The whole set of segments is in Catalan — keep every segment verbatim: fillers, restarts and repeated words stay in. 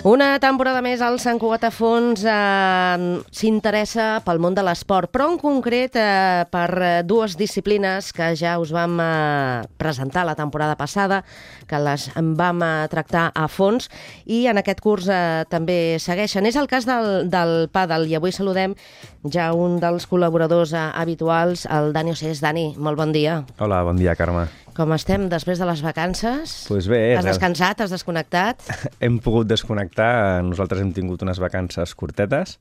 Una temporada més al Sant Cugat a Fons eh, s'interessa pel món de l'esport, però en concret eh, per dues disciplines que ja us vam eh, presentar la temporada passada, que les vam eh, tractar a fons i en aquest curs eh, també segueixen. És el cas del, del pàdel i avui saludem ja un dels col·laboradors eh, habituals, el Dani Océs. Dani, molt bon dia. Hola, bon dia, Carme. Com estem després de les vacances? Pues bé. Has descansat? Has desconnectat? Hem pogut desconnectar. Nosaltres hem tingut unes vacances curtetes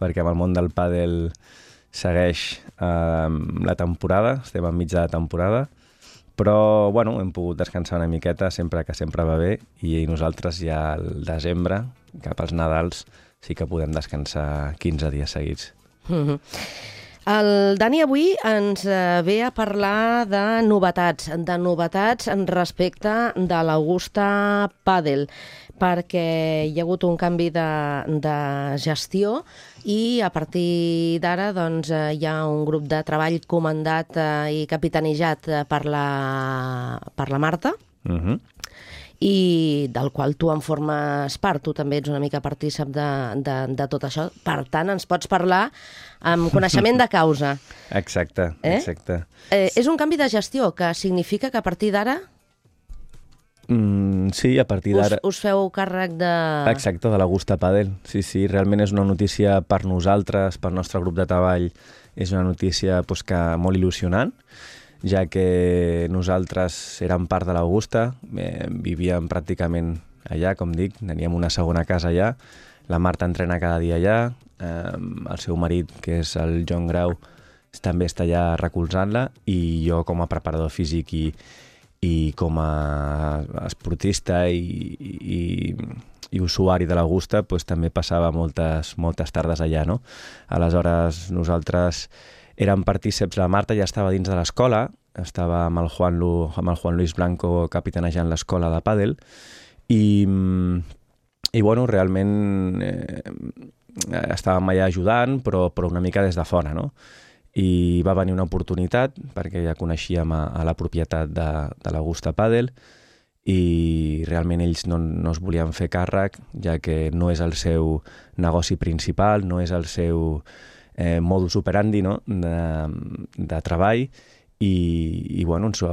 perquè amb el món del pàdel segueix eh, la temporada, estem enmig de la temporada, però bueno, hem pogut descansar una miqueta sempre que sempre va bé i nosaltres ja al desembre, cap als Nadals, sí que podem descansar quinze dies seguits. Mm-hmm. El Dani avui ens ve a parlar de novetats, de novetats respecte de l'Augusta Pàdel, perquè hi ha hagut un canvi de, de gestió i a partir d'ara doncs, hi ha un grup de treball comandat i capitanejat per la, per la Marta, Mhm. i del qual tu en formes part, tu també ets una mica partícip de, de, de tot això. Per tant, ens pots parlar amb coneixement de causa. Exacte, Eh? exacte. Eh, és un canvi de gestió que significa que a partir d'ara Mm, sí, a partir us, d'ara... us feu càrrec de... Exacte, de l'Augusta Pàdel. Sí, sí, realment és una notícia per nosaltres, pel nostre grup de treball, és una notícia pues, que molt il·lusionant, ja que nosaltres érem part de l'Augusta, eh, vivíem pràcticament allà, com dic, teníem una segona casa allà, la Marta entrena cada dia allà, eh, el seu marit, que és el Joan Grau, també està allà recolzant-la, i jo com a preparador físic i, i com a esportista i, i, i usuari de l'Augusta pues, també passava moltes, moltes tardes allà, no? Aleshores, nosaltres érem partíceps, la Marta ja estava dins de l'escola, estava amb el Juan, Lu, amb el Juan Luis Blanco capitanejant l'escola de pàdel, i, i bueno, realment eh, estàvem allà ajudant, però, però una mica des de fora, no? I va venir una oportunitat, perquè ja coneixíem a, a la propietat de, de l'Augusta Pàdel, i realment ells no, no es volien fer càrrec, ja que no és el seu negoci principal, no és el seu eh, modus operandi, no? de, de treball, i, i bueno, ens, ho,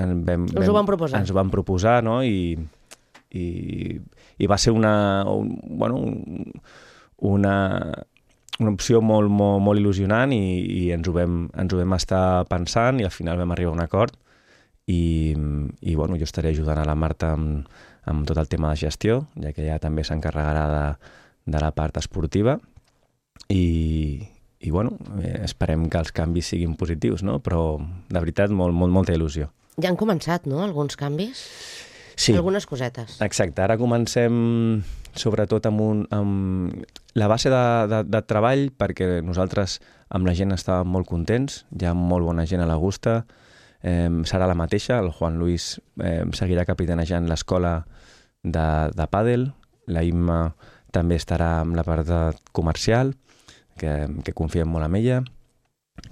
en vam, Us ho van proposar. Ens ho van proposar, no? I, i, i va ser una, un, bueno, una, una opció molt, molt, molt il·lusionant i, i ens, ho vam, ens ho vam estar pensant i al final vam arribar a un acord i, i bueno, jo estaré ajudant a la Marta amb, amb tot el tema de gestió, ja que ella també s'encarregarà de, de la part esportiva i, i bueno, eh, esperem que els canvis siguin positius, no? Però de veritat molt, molt, molta il·lusió. Ja han començat, no?, alguns canvis? Sí. Algunes cosetes. Exacte, ara comencem sobretot amb, un, amb la base de, de, de treball, perquè nosaltres amb la gent estàvem molt contents, hi ha molt bona gent a l'Augusta, eh, serà la mateixa, el Juan Luis eh, seguirà capitanejant l'escola de, de pàdel, la Imma també estarà amb la part de comercial, que, que confiem molt en ella,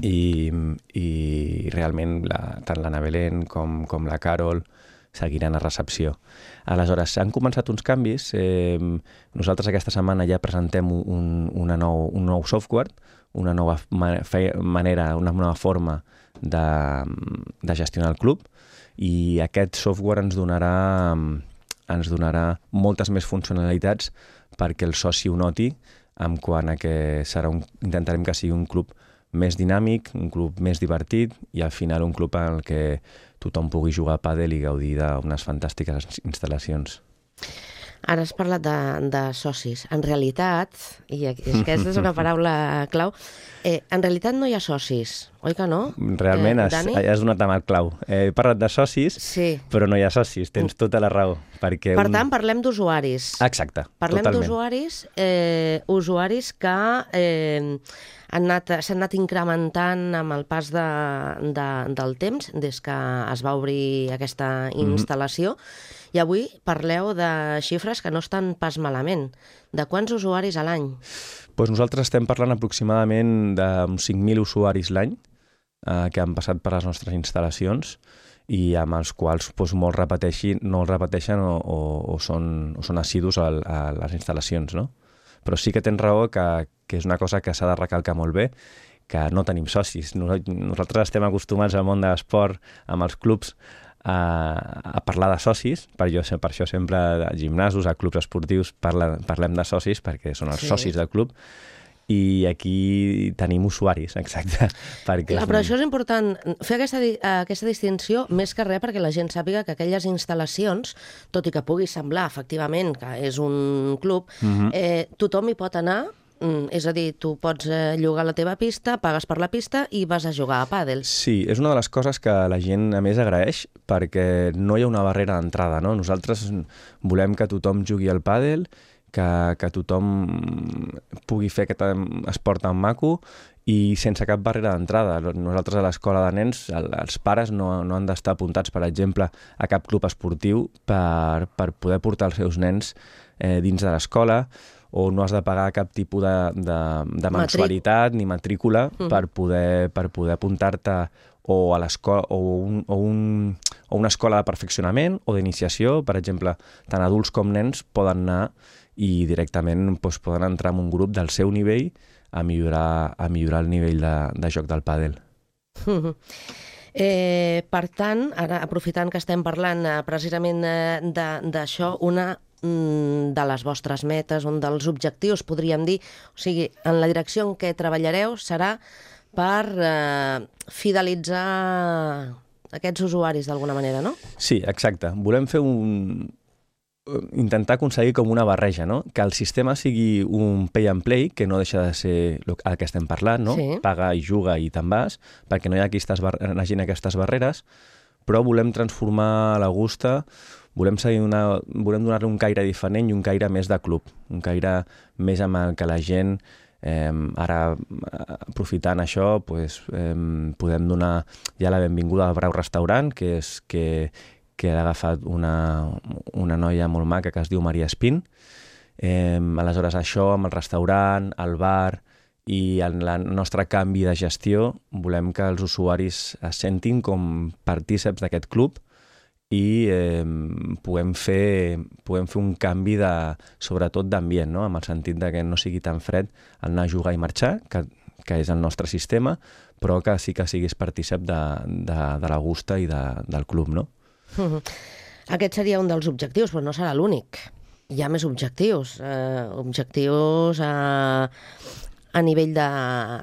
i, i realment la, tant l'Anna Belén com, com la Carol seguiran a recepció. Aleshores, han començat uns canvis. Eh, nosaltres aquesta setmana ja presentem un, una nou, un nou software, una nova manera, una nova forma de, de gestionar el club, i aquest software ens donarà, ens donarà moltes més funcionalitats perquè el soci ho noti, en quant a que serà un, intentarem que sigui un club més dinàmic, un club més divertit i al final un club en el que tothom pugui jugar a pàdel i gaudir d'unes fantàstiques instal·lacions. Ara has parlat de, de socis. En realitat, i aquesta és una paraula clau, eh, en realitat no hi ha socis, oi que no? Realment eh, has, Dani? has donat amb el clau. Eh, he parlat de socis, Sí. però no hi ha socis, tens tota la raó. Perquè Per un... tant, parlem d'usuaris. Exacte, Parlem totalment. d'usuaris, eh, usuaris que eh, han anat, s'han anat incrementant amb el pas de, de, del temps, des que es va obrir aquesta instal·lació, mm-hmm. i avui parleu de xifres que no estan pas malament. De quants usuaris a l'any? Pues nosaltres estem parlant aproximadament d'uns cinc mil usuaris l'any eh, que han passat per les nostres instal·lacions, i amb els quals doncs, molts repeteixin, no els repeteixen o, o, o, són, o són assidus a, a les instal·lacions, no? Però sí que tens raó que, que és una cosa que s'ha de recalcar molt bé, que no tenim socis. Nosaltres estem acostumats al món de l'esport, amb els clubs, a, a parlar de socis, per, jo, per això sempre a gimnasos, a clubs esportius parla, parlem de socis, perquè són els sí. socis del club, i aquí tenim usuaris, exacte. Perquè Clar, però això és important, fer aquesta, aquesta distinció, més que res perquè la gent sàpiga que aquelles instal·lacions, tot i que pugui semblar, efectivament, que és un club, uh-huh. eh, tothom hi pot anar. És a dir, tu pots llogar la teva pista, pagues per la pista i vas a jugar a pàdel. Sí, és una de les coses que la gent a més agraeix perquè no hi ha una barrera d'entrada, no? Nosaltres volem que tothom jugui al pàdel, que, que tothom pugui fer aquest esport tan maco i sense cap barrera d'entrada. Nosaltres a l'escola de nens, els pares no, no han d'estar apuntats, per exemple, a cap club esportiu per, per poder portar els seus nens eh, dins de l'escola, o no has de pagar cap tipus de, de, de mensualitat ni matrícula uh-huh. per poder, per poder apuntar-te o a l'escola o, un, o, un, o una escola de perfeccionament o d'iniciació. Per exemple, tant adults com nens poden anar i directament doncs, poden entrar en un grup del seu nivell a millorar, a millorar el nivell de, de joc del pàdel. Uh-huh. Eh, per tant, ara aprofitant que estem parlant eh, precisament eh, d'això, una de les vostres metes, un dels objectius, podríem dir, o sigui, en la direcció en què treballareu serà per eh, fidelitzar aquests usuaris d'alguna manera, no? Sí, exacte. Volem fer un... intentar aconseguir com una barreja, no? Que el sistema sigui un pay and play, que no deixa de ser el que estem parlant, no? Sí. Paga i juga i te'n vas, perquè no hi ha aquestes bar... hagin aquestes barreres, però volem transformar la Gusta. Volem, una, volem donar-li un caire diferent i un caire més de club, un caire més amb el que la gent, eh, ara aprofitant això, pues, eh, podem donar ja la benvinguda al Brau Restaurant, que, és, que, que ha agafat una, una noia molt maca que es diu Maria Espín. Eh, aleshores això, amb el restaurant, el bar i en el nostre canvi de gestió, volem que els usuaris es sentin com partíceps d'aquest club i eh, puguem, fer, puguem fer un canvi de, sobretot d'ambient, no? Amb el sentit de que no sigui tan fred el anar a jugar i marxar, que, que és el nostre sistema, però que sí que siguis partícip de, de, de la Gusta i de, del club, no? Uh-huh. Aquest seria un dels objectius, però no serà l'únic. Hi ha més objectius, eh, objectius a, a nivell de,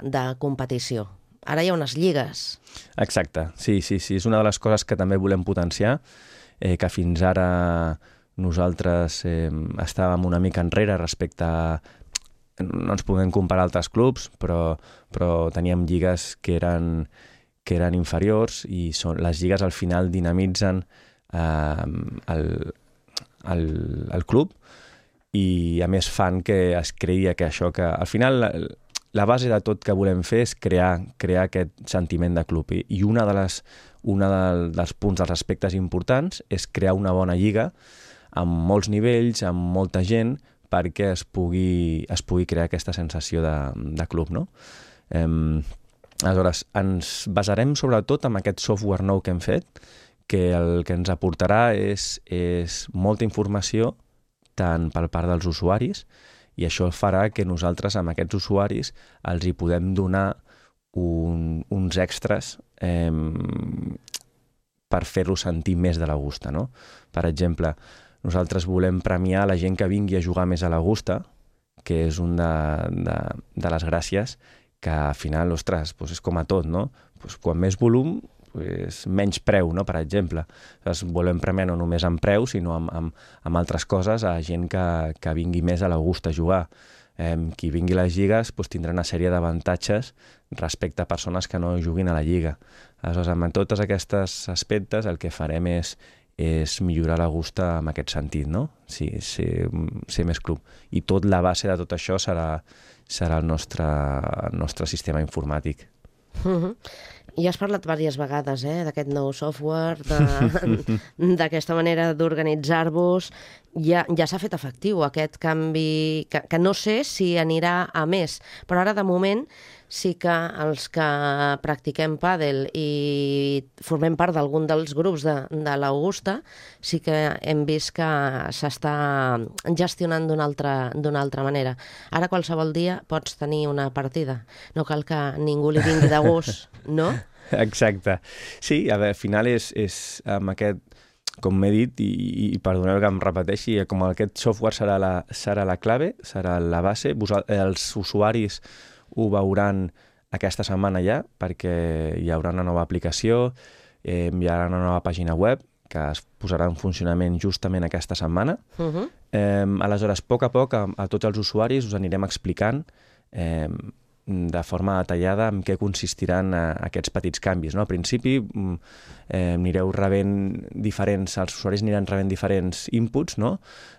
de competició. Ara hi ha unes lligues. Exacte, sí, sí, sí. És una de les coses que també volem potenciar, eh, que fins ara nosaltres eh, estàvem una mica enrere respecte a... No ens podem comparar a altres clubs, però, però teníem lligues que eren, que eren inferiors i són, les lligues al final dinamitzen eh, el, el, el club i a més fan que es creia que això que al final... La base de tot que volem fer és crear, crear aquest sentiment de club i, i una de les, una del, dels punts, dels aspectes importants és crear una bona lliga amb molts nivells, amb molta gent, perquè es pugui, es pugui crear aquesta sensació de, de club, no? Eh, aleshores, ens basarem sobretot en aquest software nou que hem fet, que el que ens aportarà és, és molta informació tant per part dels usuaris, i això farà que nosaltres amb aquests usuaris els hi podem donar un, uns extras eh, per fer-los sentir més de la Gusta, no? Per exemple, nosaltres volem premiar la gent que vingui a jugar més a la Gusta, que és una de, de, de les gràcies que al final, ostres, doncs és com a tot, no? Doncs quan més volum, pues, menys preu, no? Per exemple. Llavors, volem premiar no només amb preu, sinó amb, amb, amb altres coses a gent que, que vingui més a la Gusta a jugar. Eh, qui vingui a les lligues pues, tindrà una sèrie d'avantatges respecte a persones que no juguin a la lliga. Aleshores, amb tots aquests aspectes el que farem és, és millorar la Gusta en aquest sentit, no? Sí, ser, ser més club. I tot la base de tot això serà, serà el nostre, el nostre sistema informàtic. Uh-huh. I has parlat diverses vegades eh, d'aquest nou software, d'aquesta manera d'organitzar-vos. Ja, ja s'ha fet efectiu aquest canvi, que, que no sé si anirà a més, però ara de moment sí que els que practiquem pàdel i formem part d'algun dels grups de, de l'Augusta, sí que hem vist que s'està gestionant d'una altra, d'una altra manera. Ara qualsevol dia pots tenir una partida. No cal que ningú li vingui de gust, no? Exacte. Sí, a veure, al final és, és amb aquest, com m'he dit, i, i perdoneu que em repeteixi, com aquest software serà la, serà la clave, serà la base, Vos, els usuaris ho veuran aquesta setmana ja, perquè hi haurà una nova aplicació, eh, hi haurà una nova pàgina web que es posarà en funcionament justament aquesta setmana. Uh-huh. Eh, aleshores, a poc a poc, a, a tots els usuaris us anirem explicant eh, de forma detallada en què consistiran eh, aquests petits canvis. No? Al principi eh, anireu rebent diferents, els usuaris aniran rebent diferents inputs, no?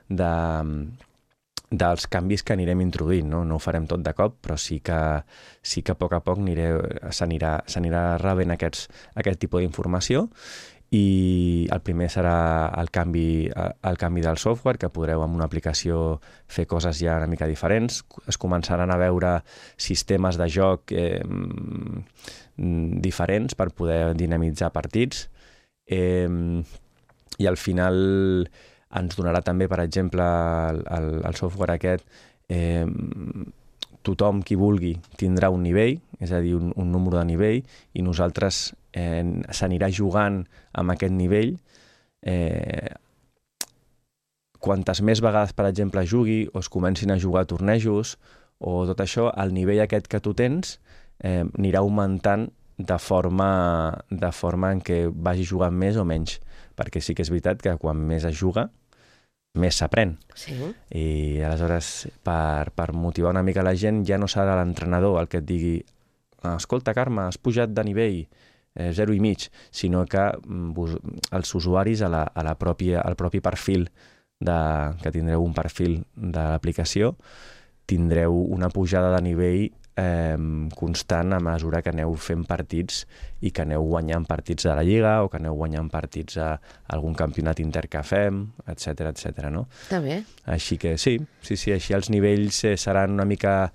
de, dels canvis que anirem introduint. No, no ho farem tot de cop, però sí que, sí que a poc a poc s'anirà s'anirà rebent aquests, aquest tipus d'informació. I el primer serà el canvi, el canvi del software, que podreu amb una aplicació fer coses ja una mica diferents. Es començaran a veure sistemes de joc eh, diferents per poder dinamitzar partits. Eh, I al final ens donarà també, per exemple, el, el, el software aquest, eh, tothom qui vulgui tindrà un nivell, és a dir, un, un número de nivell, i nosaltres eh, s'anirà jugant amb aquest nivell. Eh, quantes més vegades, per exemple, jugui o es comencin a jugar a tornejos o tot això, el nivell aquest que tu tens eh, anirà augmentant de forma, de forma en què vagi jugant més o menys, perquè sí que és veritat que quan més es juga, més s'aprèn. Sí. I aleshores, per, per motivar una mica la gent, ja no serà l'entrenador el que et digui escolta, Carme, has pujat de nivell eh, zero i mig, sinó que vos, els usuaris a la, a la pròpia, al propi perfil, de, que tindreu un perfil de l'aplicació, tindreu una pujada de nivell eh, constant a mesura que aneu fent partits i que aneu guanyant partits de la Lliga o que aneu guanyant partits a algun campionat inter que fem, etcètera, etcètera, no? Està bé. Així que sí, sí, sí, així els nivells eh, seran una mica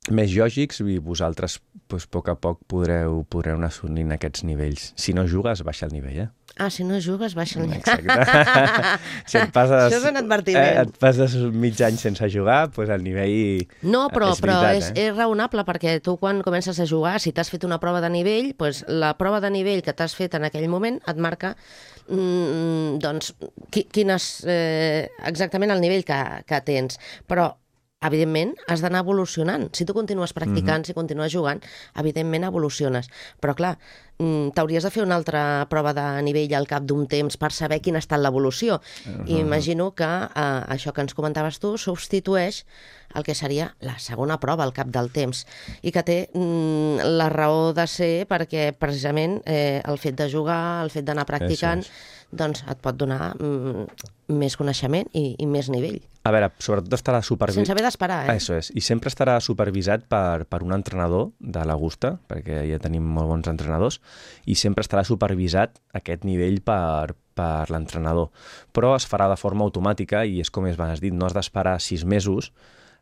més lògics i vosaltres doncs, a poc a poc podreu, podreu anar assolint aquests nivells. Si no jugues, baixa el nivell, eh? Ah, si no jugues, baixa el nivell. Exacte. Si et passes, això és un advertiment. Eh, et passes mig any sense jugar, doncs el nivell no, però, és veritat, però és, eh? és raonable, perquè tu quan comences a jugar, si t'has fet una prova de nivell, doncs la prova de nivell que t'has fet en aquell moment et marca mm, doncs, qui, quines, eh, exactament el nivell que, que tens. Però evidentment, has d'anar evolucionant. Si tu continues practicant, mm-hmm. si continues jugant, evidentment evoluciones. Però, clar, t'hauries de fer una altra prova de nivell al cap d'un temps per saber quina ha estat l'evolució. Uh-huh. I imagino que eh, això que ens comentaves tu substitueix el que seria la segona prova al cap del temps i que té mm, la raó de ser perquè precisament eh, el fet de jugar, el fet d'anar practicant, doncs et pot donar mm, més coneixement i, i més nivell. A veure, sobretot estarà supervisat... Sense haver d'esperar, eh? Això és. I sempre estarà supervisat per, per un entrenador de l'Augusta, perquè ja tenim molt bons entrenadors, i sempre estarà supervisat aquest nivell per, per l'entrenador. Però es farà de forma automàtica i és com es va dit, no has d'esperar sis mesos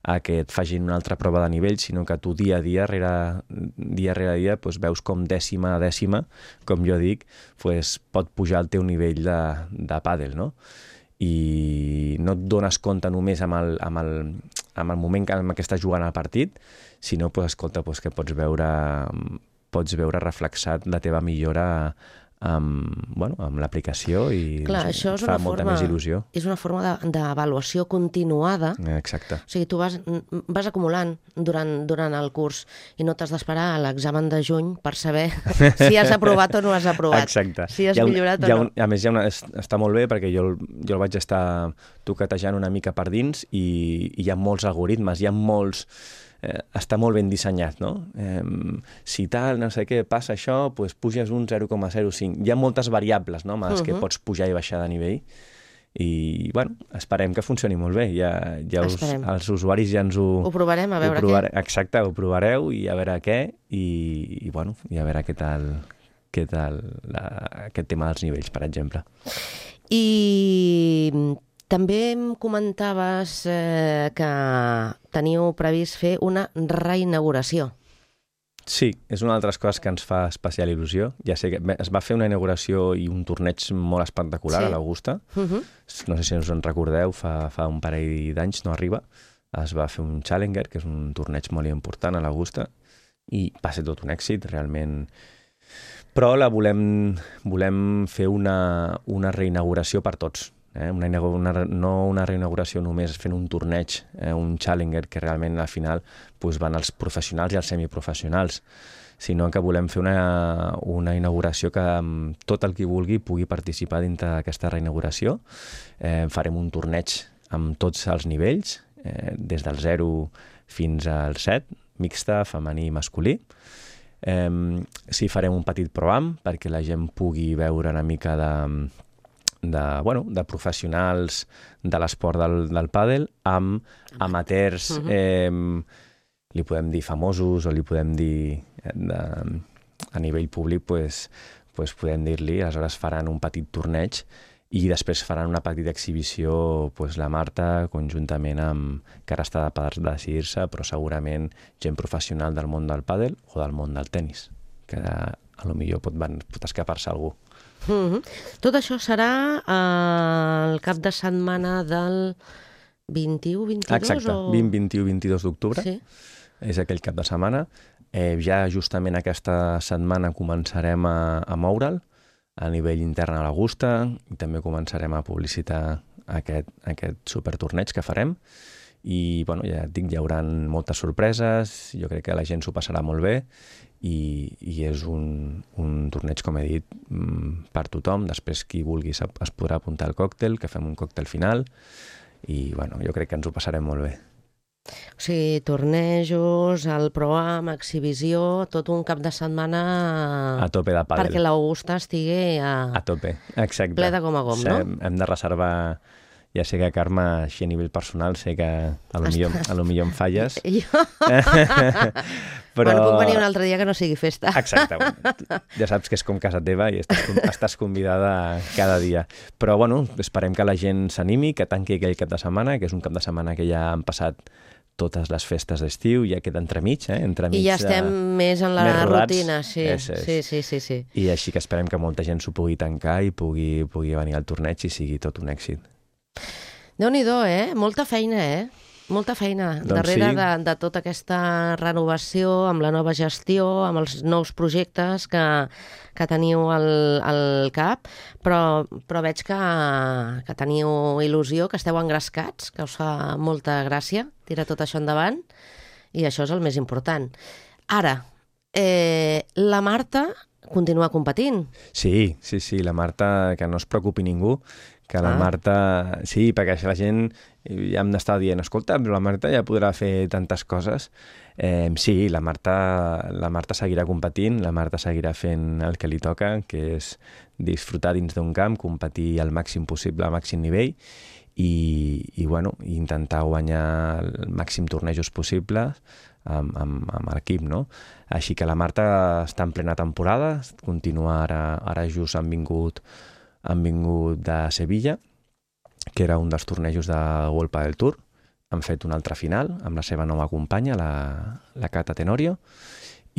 a que et facin una altra prova de nivell, sinó que tu dia a dia, rere, dia rere dia, doncs veus com dècima a dècima, com jo dic, doncs pot pujar el teu nivell de, de pàdel, no? I no et dones compte només amb el, amb el, amb el moment en què estàs jugant al partit, sinó doncs, escolta, doncs, que pots veure, pots veure reflexat la teva millora amb, bueno, amb l'aplicació i clar, no sé, això és fa una molta forma, més il·lusió. És una forma d'avaluació continuada. Exacte. O sigui, tu vas, vas acumulant durant, durant el curs i no t'has d'esperar a l'examen de juny per saber si has aprovat o no has aprovat. Exacte. Si has un, millorat o no. Un, a més, hi ha una, està molt bé perquè jo, jo el vaig estar toquetejant una mica per dins i, i hi ha molts algoritmes, hi ha molts... Eh, està molt ben dissenyat, no? Eh, si tal, no sé què, passa això, doncs puges un zero coma zero cinc. Hi ha moltes variables, no?, amb les uh-huh. que pots pujar i baixar de nivell. I, bueno, esperem que funcioni molt bé. Ja, ja us, els usuaris ja ens ho... Ho provarem, a veure provare... què. Exacte, ho provareu i a veure què, i, i bueno, i a veure què tal, què tal la, aquest tema dels nivells, per exemple. I... també em comentaves eh, que teniu previst fer una reinauguració. Sí, és una altres coses que ens fa especial il·lusió. Ja sé que es va fer una inauguració i un torneig molt espectacular sí. a l'Augusta. Uh -huh. No sé si us en recordeu, fa, fa un parell d'anys, no arriba, es va fer un Challenger, que és un torneig molt important a l'Augusta, i va ser tot un èxit, realment. Però la volem, volem fer una, una reinauguració per tots. Eh? Una, una, no una reinauguració només fent un torneig, eh? un Challenger, que realment al final pues, van els professionals i els semiprofessionals, sinó que volem fer una, una inauguració que tot el qui vulgui pugui participar dintre d'aquesta reinauguració. Eh, farem un torneig amb tots els nivells, eh, des del zero fins al set, mixta, femení i masculí. Eh, sí, farem un petit pro-am perquè la gent pugui veure una mica de... de, bueno, de professionals de l'esport del, del pàdel amb amateurs, uh -huh. eh, li podem dir famosos o li podem dir de, a nivell públic, pues, pues podem dir-li, aleshores faran un petit torneig i després faran una petita exhibició pues, la Marta conjuntament amb, que ara està per decidir-se, però segurament gent professional del món del pàdel o del món del tennis, que a lo millor pot, pot escapar-se algú. Mm-hmm. Tot això serà eh, el cap de setmana del vint-i-u vint-i-dos? Exacte, o... vint, vint-i-u, vint-i-dos d'octubre. Sí. És aquell cap de setmana. Eh, ja justament aquesta setmana començarem a, a moure'l a nivell intern a l'Augusta i també començarem a publicitar aquest, aquest supertorneig que farem. I bueno, ja et dic, hi haurà moltes sorpreses, jo crec que la gent s'ho passarà molt bé i, i és un, un torneig, com he dit, per tothom. Després, qui vulgui es podrà apuntar al còctel, que fem un còctel final i bueno, jo crec que ens ho passarem molt bé. O sigui, tornejos, el pro-am, exhibició, tot un cap de setmana a tope de pàdel. Perquè l'Augusta estigui a, a tope, exacte. Ple de gom a gom, sí, no? Hem, hem de reservar... Ja sé que, Carme, així a nivell personal, sé que a lo, millor, a lo millor em falles. Jo? Però... Bueno, puc venir un altre dia que no sigui festa. Exacte. Ja saps que és com casa teva i estàs, estàs convidada cada dia. Però, bueno, esperem que la gent s'animi, que tanqui aquell cap de setmana, que és un cap de setmana que ja han passat totes les festes d'estiu, ja queda entremig, eh? Entremig, I ja estem uh, més en la més rutina, sí. És, és. sí, sí, sí, sí. I així que esperem que molta gent s'ho pugui tancar i pugui, pugui venir al torneig i sigui tot un èxit. Déu-n'hi-do, eh? Molta feina, eh? Molta feina doncs darrere sí. de, de tota aquesta renovació, amb la nova gestió, amb els nous projectes que, que teniu al, al cap, però, però veig que, que teniu il·lusió, que esteu engrescats, que us fa molta gràcia tirar tot això endavant, i això és el més important. Ara, eh, la Marta continua competint. Sí, sí, sí, la Marta, que no es preocupi ningú, que la ah. Marta... Sí, perquè la gent ja em està dient, escolta, però la Marta ja podrà fer tantes coses. Eh, sí, la Marta, la Marta seguirà competint, la Marta seguirà fent el que li toca, que és disfrutar dins d'un camp, competir al màxim possible, al màxim nivell, i, i bueno, intentar guanyar el màxim tornejos possibles amb, amb, amb l'equip, no? Així que la Marta està en plena temporada, continua ara, ara just han vingut han vingut de Sevilla, que era un dels tornejos de World Padel Tour. Han fet una altra final amb la seva nova companya, la, la Cata Tenorio,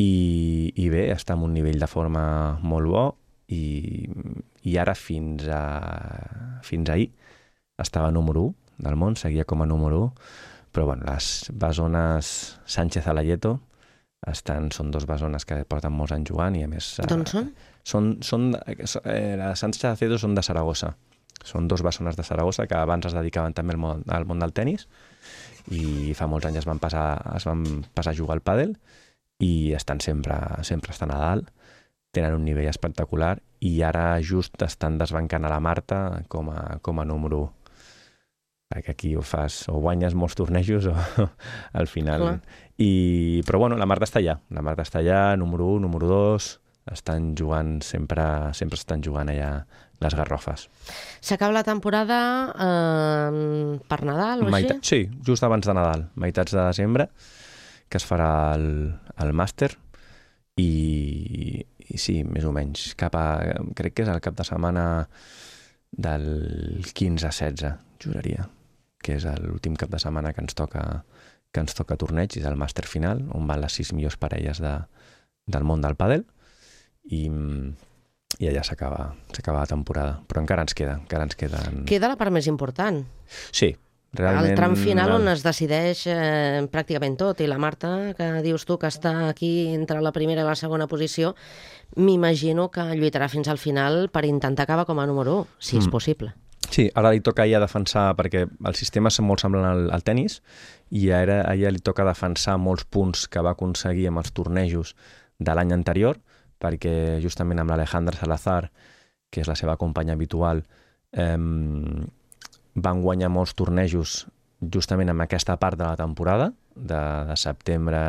i, i bé, està en un nivell de forma molt bo, i, i ara fins, a, fins ahir estava número u del món, seguia com a número u, però bueno, les besones Sánchez Alayeto estan, són dos besones que porten molts anys jugant i a més... D'on són? Són, són eh, les Sánchez Alayeto són de Saragossa. Són dos bessones de Saragossa que abans es dedicaven també al món, al món del tennis i fa molts anys es van passar, es van passar a jugar al pàdel i estan sempre, sempre estan a dalt, tenen un nivell espectacular i ara just estan desbancant a la Marta com a, com a número u. Perquè aquí ho fas, o guanyes molts tornejos o al final... I, però bueno, la Marta està allà, la Marta està allà, número u, número dos, estan jugant, sempre, sempre estan jugant allà les garrofes. S'acaba la temporada eh, per Nadal o Maita- així? Sí, just abans de Nadal, meitats de desembre, que es farà el, el màster i, i sí, més o menys, cap a, crec que és el cap de setmana del quinze a setze, juraria, que és l'últim cap de setmana que ens toca que ens toca torneig, és el màster final, on van les sis millors parelles de, del món del pàdel, i, i allà s'acaba s'acaba la temporada. Però encara ens queda, encara ens queden... Queda la part més important. Sí, realment... El tram final on es decideix eh, pràcticament tot, i la Marta, que dius tu que està aquí entre la primera i la segona posició, m'imagino que lluitarà fins al final per intentar acabar com a número u, si és mm. possible. Sí, ara li toca a ella defensar, perquè el sistema és molt semblant al, al tennis, i ara a ella li toca defensar molts punts que va aconseguir amb els tornejos de l'any anterior, perquè justament amb l'Alejandra Salazar, que és la seva companya habitual, eh, van guanyar molts tornejos justament en aquesta part de la temporada, de, de setembre,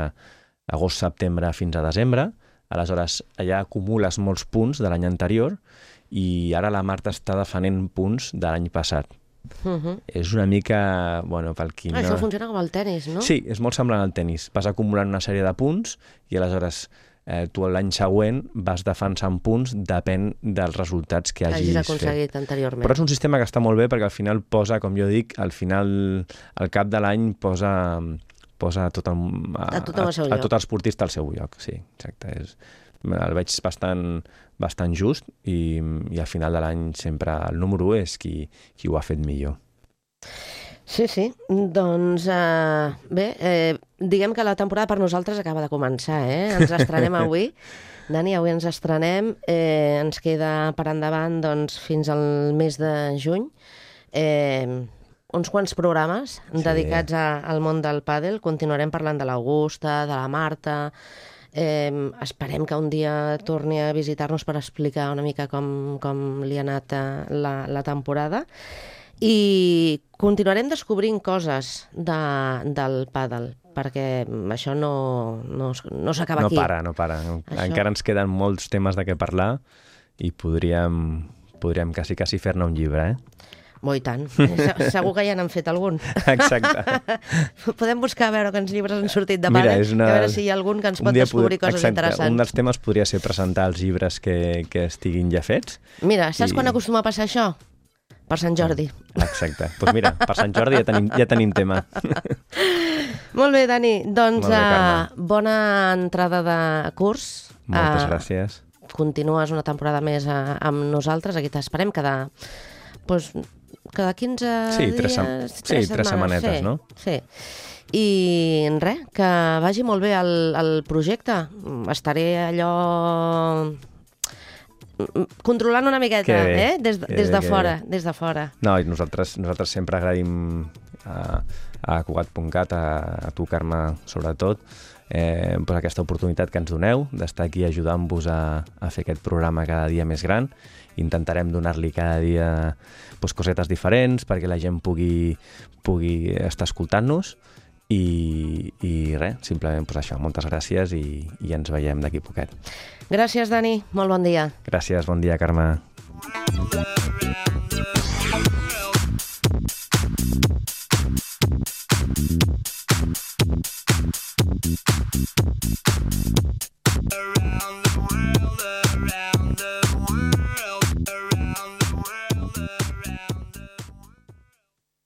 agost-setembre fins a desembre. Aleshores, allà acumules molts punts de l'any anterior, i ara la Marta està defenent punts de l'any passat. Uh-huh. És una mica... Bueno, pel qui no... Això funciona com el tennis, no? Sí, és molt semblant al tennis. Vas acumulant una sèrie de punts i aleshores eh, tu l'any següent vas defensant punts, depèn dels resultats que hagis, hagis aconseguit fet anteriorment. Però és un sistema que està molt bé perquè al final posa, com jo dic, al final, al cap de l'any posa, posa tot el, a, a, tothom al seu a, a lloc. tot esportista al seu lloc. Sí, exacte. És, el veig bastant, bastant just i, i al final de l'any sempre el número u és qui, qui ho ha fet millor. Sí, sí. Doncs eh, bé, eh, diguem que la temporada per nosaltres acaba de començar, eh? Ens estrenem avui. Dani, avui ens estrenem. Eh, ens queda per endavant doncs, fins al mes de juny. Eh, uns quants programes sí. dedicats a, al món del pàdel. Continuarem parlant de l'Augusta, de la Marta... Eh, esperem que un dia torni a visitar-nos per explicar una mica com, com li ha anat la, la temporada, i continuarem descobrint coses de, del pàdel, perquè això no, no, no s'acaba no aquí. No para, no para. Això... Encara ens queden molts temes de què parlar i podríem, podríem quasi, quasi fer-ne un llibre, eh? Oh, i tant. Segur que ja n'han fet algun. Exacte. Podem buscar a veure quants llibres han sortit de pàdel, una... a veure si hi ha algun que ens pot descobrir pod... coses Exacte. interessants. Un dels temes podria ser presentar els llibres que, que estiguin ja fets. Mira, saps I... quan acostuma a passar això? Per Sant Jordi. Exacte. Doncs pues mira, per Sant Jordi ja tenim, ja tenim tema. Molt bé, Dani. Doncs bé, uh, bona entrada de curs. Moltes uh, gràcies. Continues una temporada més uh, amb nosaltres. Aquí t'esperem cada... Pues, cada quinze sí, tres, dies... Sí, tres setmanetes, sí, no? Sí. I res, que vagi molt bé el, el projecte. Estaré allò... controlant una miqueta, eh? Des, des de fora, des de fora. No, i nosaltres, nosaltres sempre agraïm a, a Cugat punt cat, a, a tu, Carme, sobretot, eh, pues aquesta oportunitat que ens doneu d'estar aquí ajudant-vos a, a fer aquest programa cada dia més gran. Intentarem donar-li cada dia pues, cosetes diferents perquè la gent pugui, pugui estar escoltant-nos i, i res, simplement pues, això, moltes gràcies i, i ens veiem d'aquí poquet. Gràcies, Dani. Molt bon dia. Gràcies, bon dia, Carme.